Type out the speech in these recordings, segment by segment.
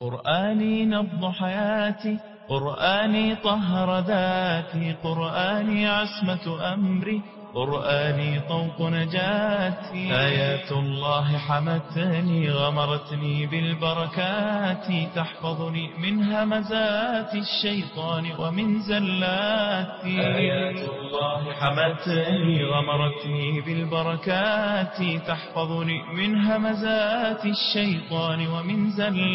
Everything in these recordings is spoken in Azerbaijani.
قرآني نبض حياتي، قرآني طهر ذاتي، قرآني عصمة أمري، قرآني طوق نجاتي. آيات الله حمتني غمرتني بالبركات، تحفظني من همزات الشيطان ومن زلاتي. آيات الله حمتني غمرتني بالبركات، تحفظني من همزات الشيطان ومن زلاتي.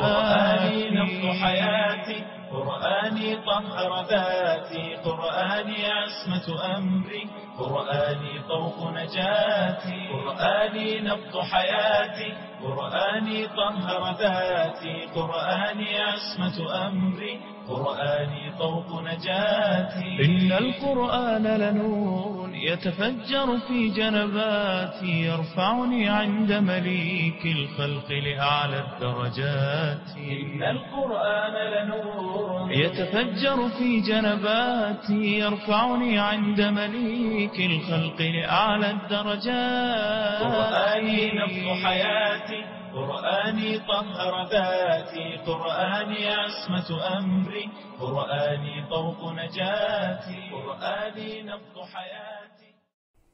قرآني نبض حياتي، قرآني طهر ذاتي، قرآني عصمة أمري، قرآني طوق نجاتي. قرآني نبض حياتي، قرآني طهر ذاتي، قرآني عصمة أمري، قرآني طوق نجاتي. إن القرآن لنور يتفجر في جنباتي، يرفعني عند مليك الخلق لأعلى الدرجات. إن القرآن لنور يتفجر في جنباتي، يرفعني عند مليك الخلق لأعلى الدرجات. قرآني نبض حياتي، قرآني طهر ذاتي، قرآني عصمة أمري، قرآني طوق نجاتي. قرآني نبض حياتي.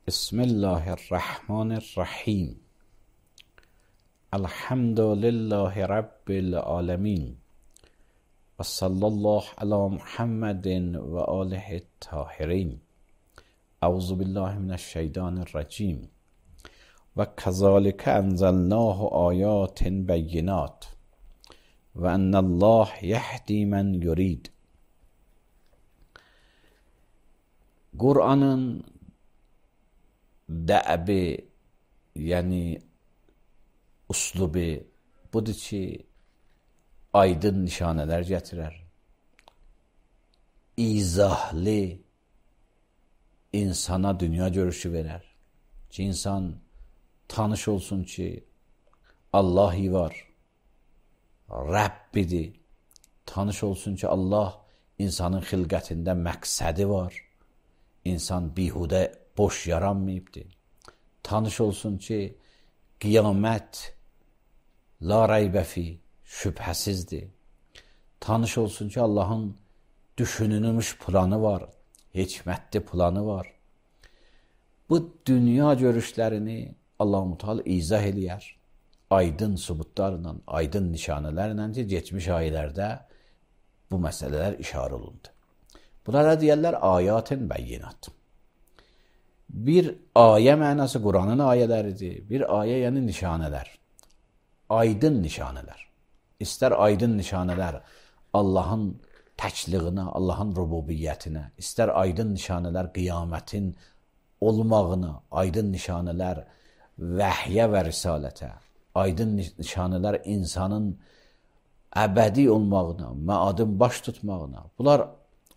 بسم الله الرحمن الرحیم. الحمد لله رب العالمین و صلی الله علی محمد و آله الطاهرین. اعوذ بالله من الشیطان الرجیم. و کذالک انزلناه آیات بینات و ان الله یهدی من یرید. Kur'an'ın dəbi, yəni uslubu budur ki, aydın nişanələr gətirər. İzahlı insana dünya görüşü verər. Ki, insan tanış olsun ki, Allah var, Rəbbidir. Tanış olsun ki, Allah insanın xilqətində məqsədi var. İnsan bihudə boş yaranmayıbdır. Tanış olsun ki, qiyamət la raybəfi şübhəsizdir. Tanış olsun ki, Allahın düşünülmüş planı var, hikmətli planı var. Bu dünya görüşlərini Allah-u Teala izah eləyər. Aydın sübutlarla, aydın nişanələrlə ki, geçmiş ayələrdə bu məsələlər işarə olundu. Bunlara deyərlər ayatın bəyinat. Bir ayə mənası Qur'anın ayələridir. Bir ayə yəni nişanələr. Aydın nişanələr. İstər aydın nişanələr Allahın təkliğinə, Allahın rububiyyətinə, istər aydın nişanələr qiyamətin olmağına, aydın nişanələr vəhyə və risalətə, aydın nişanələr insanın əbədi olmağına, məadın baş tutmağına, bunlar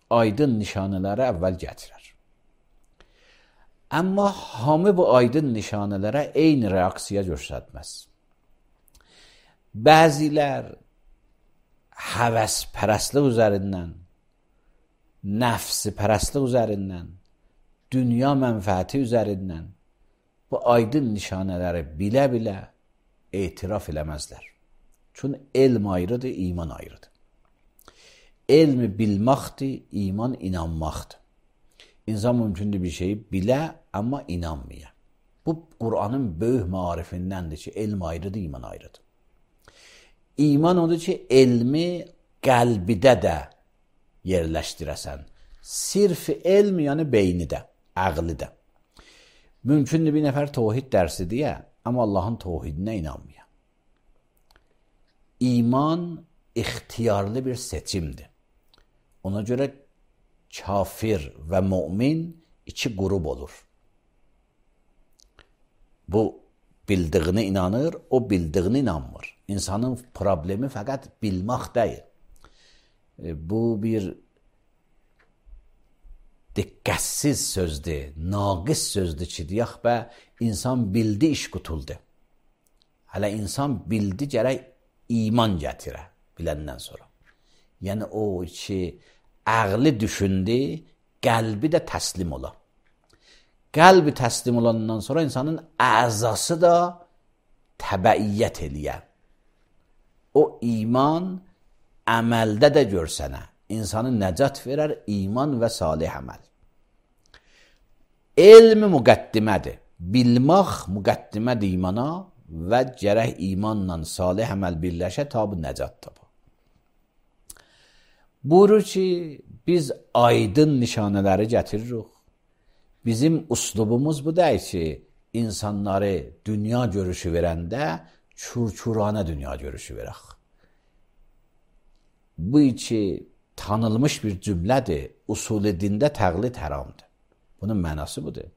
aydın nişanələri əvvəl gətirər. Amma hamı bu aydın nişanələrə eyni reaksiya göstərməz. Bəzilər həvəspərəstlik üzərindən, nəfsi-pərəstlik üzərindən, dünya mənfəəti üzərindən bu aydın nişanələri bilə-bilə etiraf eləməzlər. Çünki elm ayrıdır, iman ayrıdır. Elmi bilməkdir, iman inanmaqdır. İnsan mümkündür bir şeyi bilə, amma inanmaya. Bu, Qur'anın böyük marifindəndir ki, elm ayrıdır, iman ayrıdır. İman odur ki, elmi qəlbidə də yerləşdirəsən. Sirf elm, yəni beynidə, əqlidə. Mümkündür bir nəfər tohid dərsi deyə, amma Allahın tohidinə inanmaya. İman ixtiyarlı bir seçimdir. Ona görə kafir və mümin iki qrup olur. Bu bildiğini inanır, o bildiğini inanmır. İnsanın problemi fəqət bilmək deyil. Bu bir diqqətsiz sözdür, naqis sözdür ki, deyək bə, insan bildi, iş qutuldu. Hələ insan bildi, gərək iman gətirə biləndən sonra. Yəni o ki, əqli düşündü, qəlbi də təslim ola. Qəlbi təslim olandan sonra insanın əzası da təbəiyyət eləyər. o iman əməldə də görsənə. İnsanı nəcat verər iman və salih əməl. Elm müqəddimədir. Bilmək müqəddimədir imana və gərək imanla salih əməl birləşə ta bu nəcat tapa. Buyurur ki, biz aydın nişanələri gətiririk. Bizim uslubumuz bu deyil ki, insanları dünya görüşü verəndə çurçurana dünya görüşü verək. Bu ki, tanınmış bir cümlədir. Usul-i dində təqlid haramdır. Bunun mənası budur.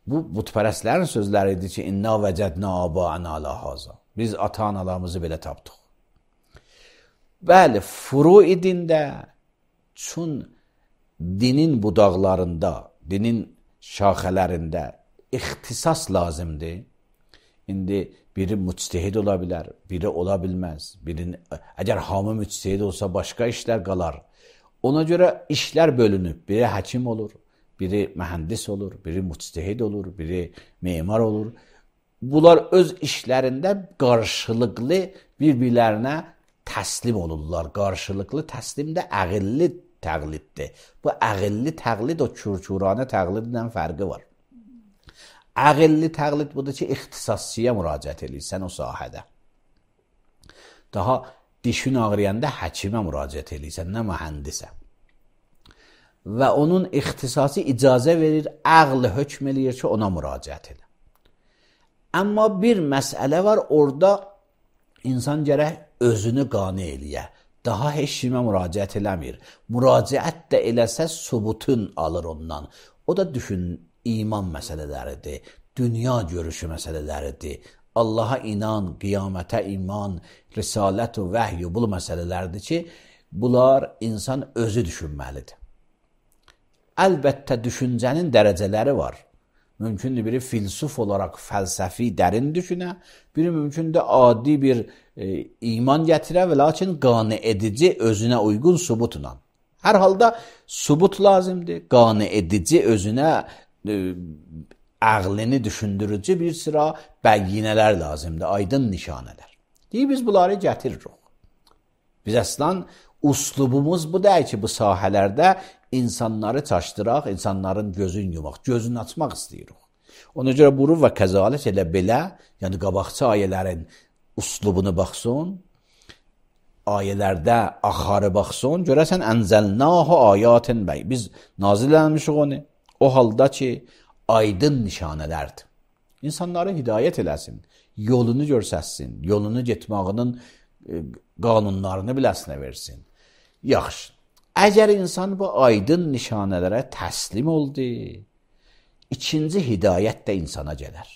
Bu, butpərəstlərin sözləridir ki, İnna vəcədnə aba'ana ala haza. Biz ata-analarımızı belə tapdıq. Bəli, furu-i dində, çün dinin budaqlarında, dinin şaxələrində ixtisas lazımdır. İndi biri müctehid ola bilər, biri ola bilməz. Əgər hamı müctehid olsa başqa işlər qalar. Ona görə işlər bölünüb. Biri həkim olur, biri mühəndis olur, biri müctehid olur, biri memar olur. Bunlar öz işlərində qarşılıqlı bir-birlərinə təslim olurlar. Qarşılıqlı təslim də əqilli təqliddir. Bu əqilli təqlid o çurçuranə təqlidlə fərqi var. Əqilli təqlid budur ki, ixtisasçıya müraciət edirsən o sahədə. Daha dişin ağrıyanda həkimə müraciət edirsən, nə mühəndisə. Və onun ixtisası icazə verir, əql hökm eləyir ki, ona müraciət edir. Amma bir məsələ var, orada insan gərək özünü qane eləyə. Daha heç kimə müraciət eləmir. Müraciət də eləsə subutun alır ondan. O da düşün, iman məsələləridir, dünya görüşü məsələləridir, Allaha inan, qiyamətə iman, risalət və vəhy bu məsələlərdir ki, bunlar insan özü düşünməlidir. Əlbəttə düşüncənin dərəcələri var. Mümkündür biri filsuf olaraq fəlsəfi dərin düşünə, biri mümkündür adi bir iman gətirə və lakin qane edici özünə uyğun subutla. Hər halda subut lazımdır, qane edici özünə əqlini düşündürücü bir sıra bəyyinələr lazımdır, aydın nişanələr. Deyir, biz bunları gətiririk. Biz əslən uslubumuz bu deyil ki, bu sahələrdə insanları çaşdıraq, insanların gözünü yumaq, gözünü açmaq istəyirik. Ona görə buyurur və kəzalət elə belə, yəni qabaqçı ayələrin uslubunu baxsın, ayələrdə axarı baxsın, görəsən ənzəlnahu ayatin bəy. Biz nazil eləmişik onu. O halda ki, aydın nişanələrdir. İnsanları hidayət eləsin, yolunu görsəsin, yolunu getmağının qanunlarını biləsinə versin. Yaxşı, əgər insan bu aydın nişanələrə təslim oldu, ikinci hidayət də insana gələr.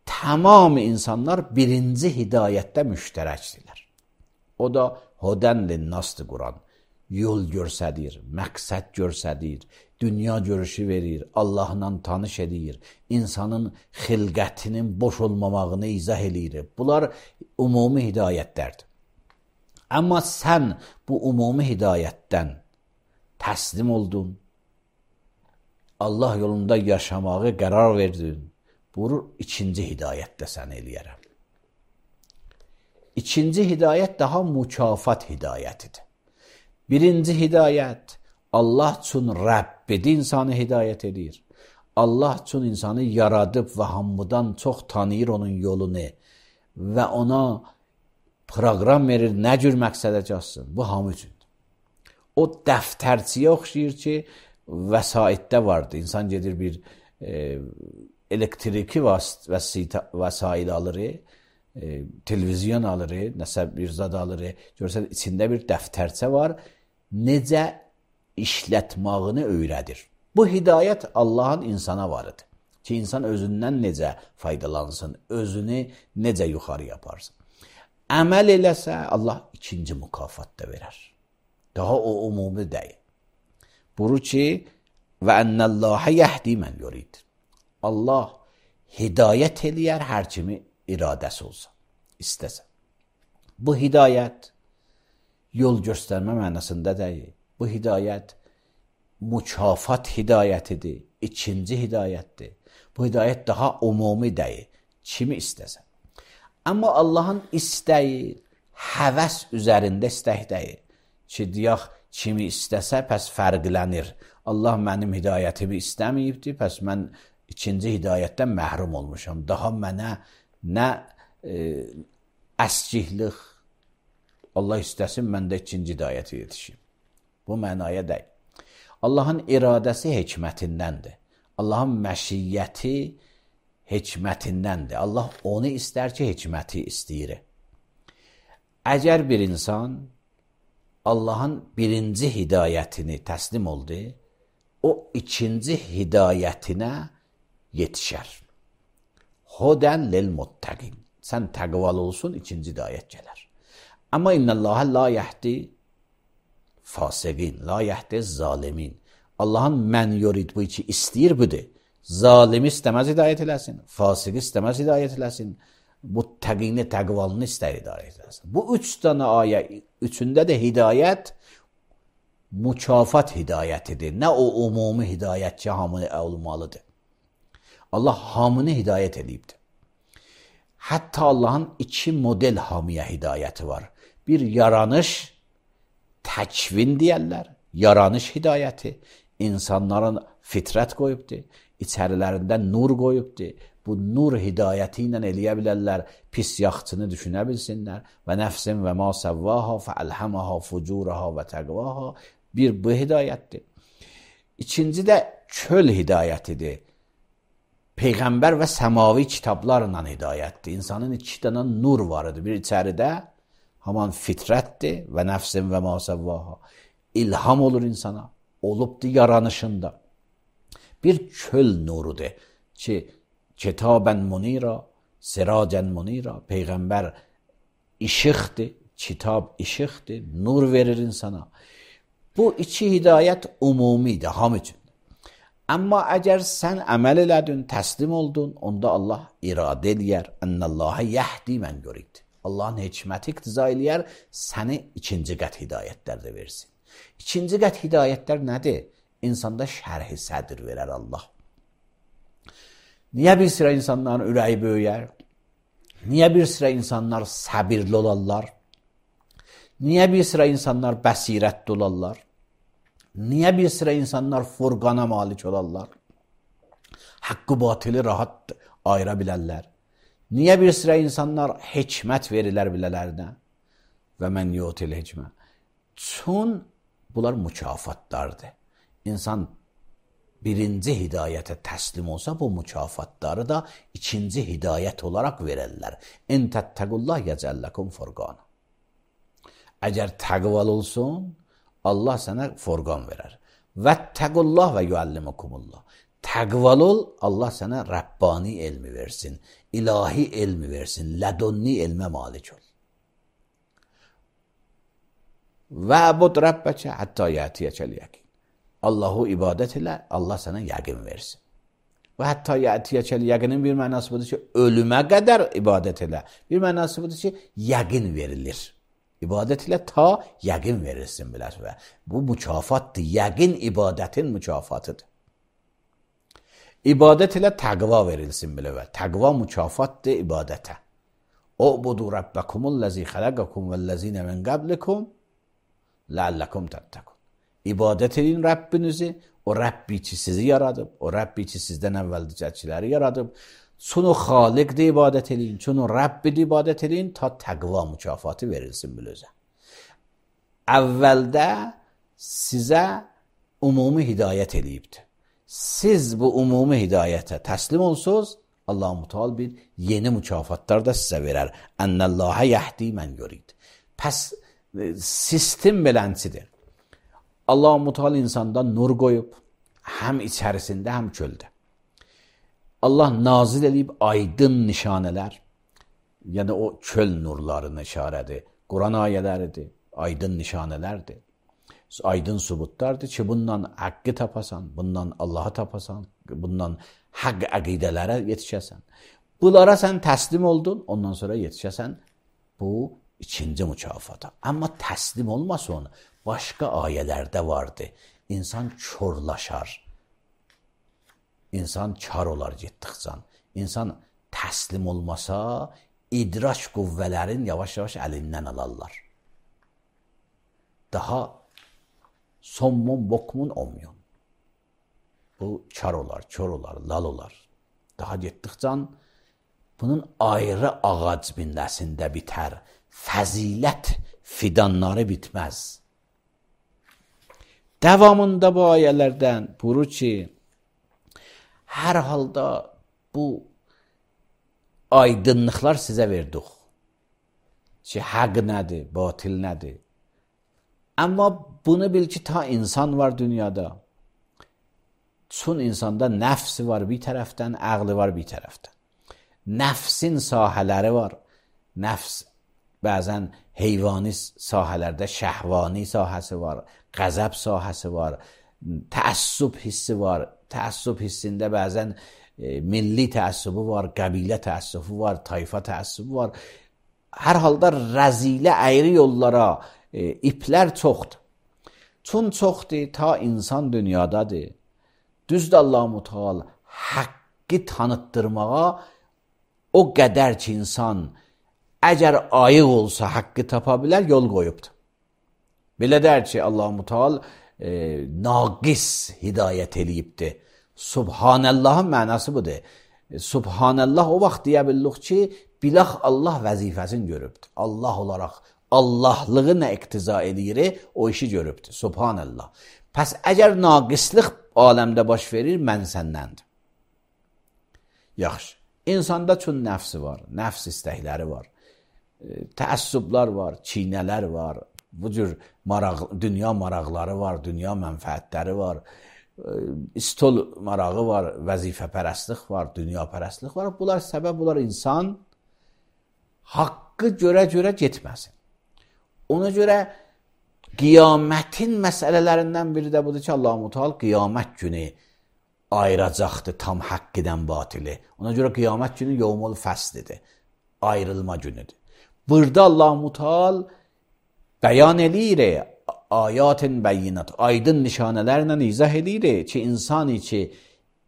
Tamam insanlar birinci hidayətdə müştərəkdirlər. O da hudən linnasdır Quran. Yol görsədir, məqsəd görsədir, dünya görüşü verir, Allahla tanış edir, insanın xilqətinin boş olmamağını izah edir. Bunlar ümumi hidayətlərdir. Amma sən bu ümumi hidayətdən təslim oldun, Allah yolunda yaşamağı qərar verdin, buyurur, ikinci hidayətdə sən eləyərəm. İkinci hidayət daha mükafat hidayətidir. Birinci hidayət, Allah üçün Rəbbidi insanı hidayət edir. Allah üçün insanı yaradıb və hamıdan çox tanıyır onun yolunu və ona proqram verir, nə cür məqsədə çatsın. Bu hamı üçündür. O dəftərçiyə oxşayır ki, vəsaitdə vardı. İnsan gedir bir elektriki vəsail alır, televizyon alır, nəsə bir zad alır, görsən içində bir dəftərçə var, necə işlətmağını öyrədir. Bu hidayət Allahın insana varıdır ki, insan özündən necə faydalansın, özünü necə yuxarı yaparsın. Əməl eləsə, Allah ikinci mükafat da verər. Daha o umumi deyil. Buyurur ki, və ennəllâhə yəhdi mən yurid. Allah hidayət eləyər hər kimi iradəsi olsa, istəsə. Bu hidayət yol göstərmə mənasında deyil. Bu hidayət mükafat hidayətidir, ikinci hidayətdir. Bu hidayət daha umumi deyil, kimi istəsə. Amma Allahın istəyi həvəs üzərində istək deyil. Ki, deyək, kimi istəsə, pəs fərqlənir. Allah mənim hidayətimi istəməyibdir, pəs mən ikinci hidayətdən məhrum olmuşam. Daha mənə nə əskiklik, Allah istəsin, mən də ikinci hidayətə yetişim. Bu mənaya deyil. Allahın iradəsi hikmətindəndir. Allahın məşiyyəti hikmətindəndir. Allah onu istər ki, hikməti istəyir. Əgər bir insan Allahın birinci hidayətini təslim oldu, o ikinci hidayətinə yetişər. Hudən lil muttəqin. Sən təqvalı olsun, ikinci hidayət gələr. Amma innəlləhə la yəhdi fasiqin, la yəhdi zalimin. Allahın mən yorid bu iki istəyir budur. Zalimi istəməz hidayət eləsin, fasiqi istəməz hidayət eləsin, muttəqini, təqvalını istər hidayət eləsin. Bu üç dənə ayə, üçündə də hidayət mükafat hidayətidir. Nə o umumi hidayət ki, hamını olmalıdır. Allah hamını hidayət edibdir. Hətta Allahın iki model hamiyə hidayəti var. Bir yaranış, təkvin deyərlər, yaranış hidayəti. İnsanların fitrət qoyubdur, içərilərində nur qoyubdur. Bu nur hidayəti ilə eləyə bilərlər, pis yaxçını düşünə bilsinlər. Və nəfsin və ma səvvaha fəəlhəməha fucuraha və təqvaha. Bir bu hidayətdir. İkinci də çöl hidayətidir. Peyğəmbər və səmavi kitablarla hidayətdir. İnsanın iki dənə nur varıdır. Bir içəridə haman fitrətdir və nəfsin və ma səvvaha. İlham olur insana, olubdur yaranışında. Bir çöl nurudur ki, kitabən munira, siracən munira. Peyğəmbər işıqdır, kitab işıqdır, nur verir insana. Bu iki hidayət umumidir, ham üçün. Amma əgər sən əməl elədin, təslim oldun, onda Allah iradə eləyər. Ənəlləhə yəhdi mən yorid. Allahın hikməti iqtiza eləyər, səni ikinci qət hidayətlər də versin. İkinci qət hidayətlər nədir? İnsanda şərh-i sədr verər Allah. Niyə bir sıra insanların ürəyi böyüyər? Niyə bir sıra insanlar səbirli olarlar? Niyə bir sıra insanlar bəsirətli olarlar? Niyə bir sıra insanlar furqana malik olarlar? Haqqı batılı rahat ayıra bilərlər? Niyə bir sıra insanlar hikmət verirlər bilələrdə? Və mən yutil hikmə. Çün bunlar mükafatlardır. İnsan birinci hidayətə təslim olsa, bu mükafatları da ikinci hidayət olaraq verərlər. İn təttəqullah yəcəlləkum furqana. Əgər təqval olsun, Allah sənə furqan verər. Vəttəqullah və yuəllimukumullah. Təqval ol, Allah sənə Rəbbani elmi versin, ilahi elmi versin, lədunni elmə malik ol. Vəbud Rəbbəkə həttə yətiyəkəl yəqin. Allahu ibadət ilə, Allah sənə yəqin versin. Və hətta yətiyəkəl yəqinin bir mənası budur ki, ölümə qədər ibadət ilə. Bir mənası budur ki, yəqin verilir. İbadət ilə ta yəqin verilsin bilər və bu mükafatdır. Yəqin ibadətin mükafatıdır. İbadət ilə təqva verilsin bilər və təqva mükafatdır ibadətə. U'budu Rabbakumul-lezî xalaqakum vellezîne min qablikum la'allakum tattaqun. İbadət edin Rəbbinizi, o Rəbbi ki sizi yaradıb, o Rəbbi ki sizdən əvvəlcəkiləri yaradıb. Çün o xaliqdir ibadət edin, çün o Rəbbidir ibadət edin, ta təqva mükafatı verilsin bilözə. Əvvəldə sizə umumi hidayət edibdir. Siz bu umumi hidayətə təslim olsunuz, Allah-u Teala bir yeni mükafatlar da sizə verər. Ənəlləhə yəhdi mən yorid. Pəs sistem belənçidir. Allah-u Teala insanda nur qoyub, həm içərisində, həm çöldə. Allah nazil edib aydın nişanələr, yəni o çöl nurlarının işarədir, Quran ayələridir, aydın nişanələrdir, aydın subutlardır ki, bundan haqqı tapasan, bundan Allahı tapasan, bundan haqq əqidələrə yetişəsən. Bunlara sən təslim oldun, ondan sonra yetişəsən, bu ikinci mükafata. Amma təslim olmasın, başqa ayələrdə vardı. İnsan körlaşar. İnsan kar olar getdikcə. İnsan təslim olmasa, idraç qüvvələrin yavaş-yavaş əlindən alarlar. Daha sommun, bokmun olmuyor. Bu kar olar, kör olar, lal olar. Daha getdikcə bunun ayrı ağac milləsində bitər. Fəzilət fidanları bitməz. Davamında bu ayələrdən buyurur ki, hər halda bu aydınlıqlar sizə verdik. Ki, haqq nədir, batil nədir? Amma bunu bil ki, ta insan var dünyada. Çün insanda nəfsi var bir tərəfdən, əqli var bir tərəfdən. Nəfsin sahələri var. Nəfs bəzən heyvani sahələrdə şəhvani sahəsi var, qəzəb sahəsi var, təəssüb hissi var. Təəssüb hissində bəzən milli təəssübü var, qəbilə təəssübü var, tayfa təəssübü var. Hər halda rəzilə əyri yollara iplər çoxdur. Çün çoxdur, ta insan dünyadadır. Düzdür Allah-u Teala haqqı tanıtdırmağa o qədər ki insan əgər ayıq olsa haqqı tapa bilər, yol qoyubdur. Belə der ki Allah-u Teala naqis hidayət eləyibdir. Subhanəllahın mənası budur. Subhanəllah o vaxt deyə bildik ki, bilax Allah vəzifəsini görübdür. Allah olaraq Allahlığı nə iqtiza edir, o işi görübdür. Subhanəllah. Pəs əgər naqislik aləmdə baş verir, mən səndəndir. Yaxşı. İnsanda çün nəfsi var, nəfs istəkləri var, təəssüblər var, çiynələr var, bu cür dünya maraqları var, dünya mənfəətləri var, istol marağı var, vəzifəpərəstlik var, dünyapərəstlik var. Bunlar səbəb olar insan haqqı görə-görə getməsin. Ona görə qiyamətin məsələlərindən biri də budur ki, Allah-u Teala qiyamət günü ayıracaqdır tam haqqıdan batili. Ona görə qiyamət günü yevmul fəslidir, ayrılma günüdür. Burada Allah-u Teala bəyan eləyir, ayatın bəyyinat, aydın nişanələrlə izah eləyir ki, insan ki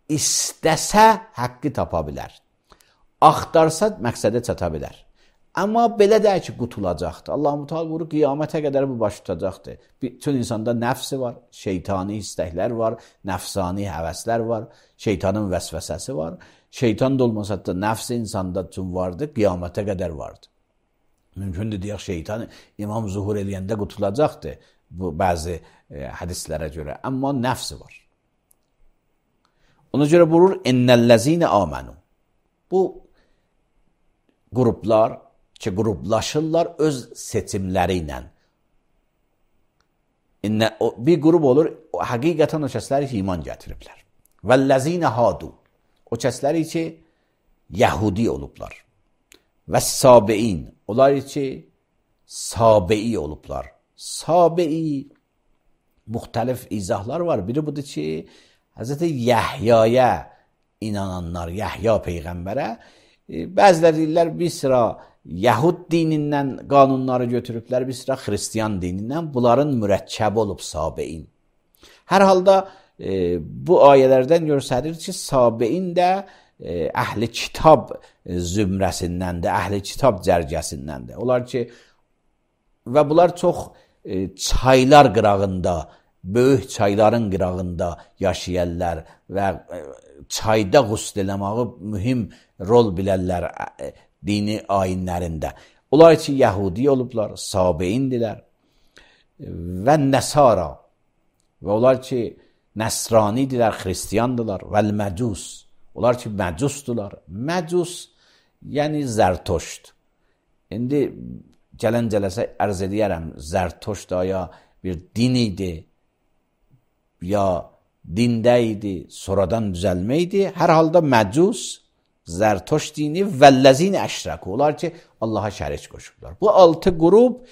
istəsə haqqı tapa bilər, axtarsa məqsədə çata bilər. Amma belə də ki, qutulacaqdır. Allah-u Teala buyurur, qiyamətə qədər bu baş tutacaqdır. Bütün insanda nəfsi var, şeytani istəklər var, nəfsani həvəslər var, şeytanın vəsvəsəsi var. Şeytan da olmasa da nəfsi insanda üçün vardır, qiyamətə qədər vardır. Mümkündür deyək, şeytan imam zuhur eləyəndə qutulacaqdır, bu bəzi hədislərə görə. Amma nəfsi var. Ona görə buyurur, innəl-ləzine amanu. Bu qruplar ki, qruplaşırlar öz seçimləri ilə. Bir qrup olur, həqiqətən o kəsləri ki, iman gətiriblər. Vəl-ləzinə hadu. O kəsləri ki, yəhudi olublar. Və sabein. Onlar ki, sabei olublar. Sabei müxtəlif izahlar var. Biri budur ki, Həzrəti Yəhyaya inananlar, Yəhya Peyğəmbərə, bəziləri deyirlər, bir sıra Yəhud dinindən qanunları götürüblər, bir sıra Xristiyan dinindən, bunların mürəkkəbi olub sabein. Hər halda bu ayələrdən göstərir ki, sabein də əhli kitab zümrəsindəndir, əhli kitab cərgəsindəndir. Onlar ki, və bunlar çox çaylar qırağında, böyük çayların qırağında yaşayarlar və çayda qusl eləməyi mühim rol bilərlər dini ayinlərində. Onlar ki, Yəhudi olublar, Sabeindirlər və Nəsara və onlar ki, Nəsranidirlər, Xristiyandılar və Məcus. Onlar ki, Məcusdular. Məcus, yəni Zərtoşt. İndi gələn cələsə ərz edəyərəm, Zərtoşt ya bir din idi, ya dində idi, sonradan düzəlmə idi. Hər halda Məcus, Zərtoş dini vəl-ləzine əşrəku. Onlar ki, Allaha şərik qoşublar. Bu 6 qrup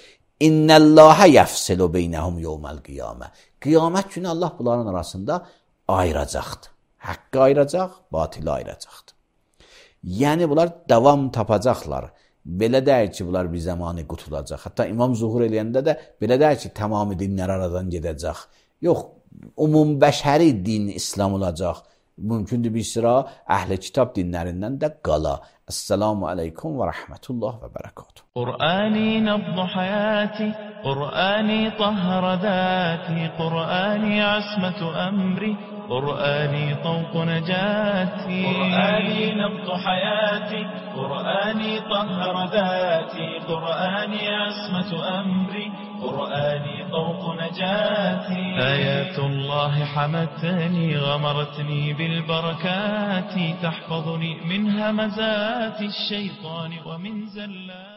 innəlləhə yəfsilu beynəhum yevməl qiyamə. Qiyamət günü Allah bunların arasında ayıracaqdır. Haqqı ayıracaq, batili ayıracaqdır. Yəni bunlar davam tapacaqlar. Belə deyir ki, bunlar bir zamanı qutulacaq. Hətta İmam zuhur eləyəndə də belə deyir ki, tamamı dinlər aradan gedəcək. Yox, umumbəşəri din İslam olacaq. mümkündür bir sıra əhli kitab dinlərindən də qala. Esselamu aleykum və rəhmətullah və bərəkatuhu. قرآني نبض حياتي قرآني طهر ذاتي قرآني عصمة أمري قرآني طوق نجاتي قرآني نبض حياتي قرآني طهر ذاتي قرآني عصمة أمري قرآني طوق نجاتي آيات الله حمتني غمرتني بالبركات تحفظني من همزات الشيطان ومن زلات